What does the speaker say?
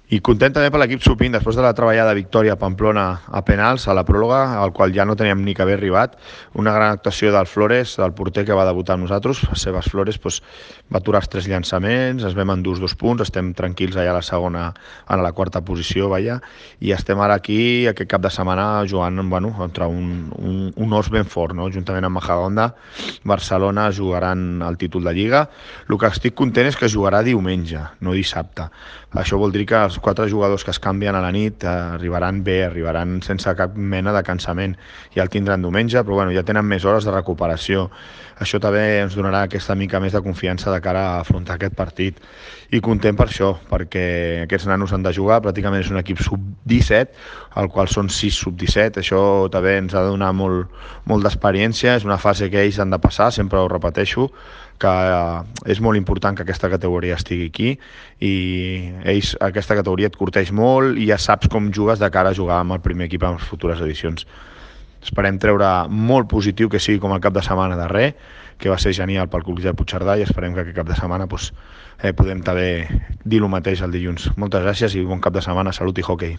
I content també per l'equip sub-20, després de la treballada victòria a Pamplona a penals, a la pròrroga, al qual ja no teníem ni que haver arribat. Una gran actuació del Flores, del porter que va debutar amb nosaltres. Les seves Flores va aturar els 3 llançaments, ens vam endur 2 punts, estem tranquils allà a la segona, a la quarta posició, i estem ara aquí, aquest cap de setmana, jugant contra un os ben fort, no? Juntament amb Majadahonda. Barcelona jugaran el títol de Lliga. El que estic content és que jugarà diumenge, no dissabte. Això vol dir que els 4 jugadors que es canvien a la nit arribaran bé, arribaran sense cap mena de cansament. Ja el tindran diumenge, però ja tenen més hores de recuperació. Això també ens donarà aquesta mica més de confiança de cara a afrontar aquest partit. I content per això, perquè aquests nanos han de jugar, pràcticament és un equip sub-17, al qual són 6 sub-17. Això també ens ha de donar molt d'experiència, és una fase que ells han de passar, sempre ho repeteixo, que és molt important que aquesta categoria estigui aquí i ells, aquesta categoria et curteix molt i ja saps com jugues de cara a jugar amb el primer equip en les futures edicions. Esperem treure molt positiu que sigui com el cap de setmana darrer, que va ser genial pel Club de Puigcerdà, i esperem que aquest cap de setmana podem també dir el mateix el dilluns. Moltes gràcies i bon cap de setmana, salut i hoquei.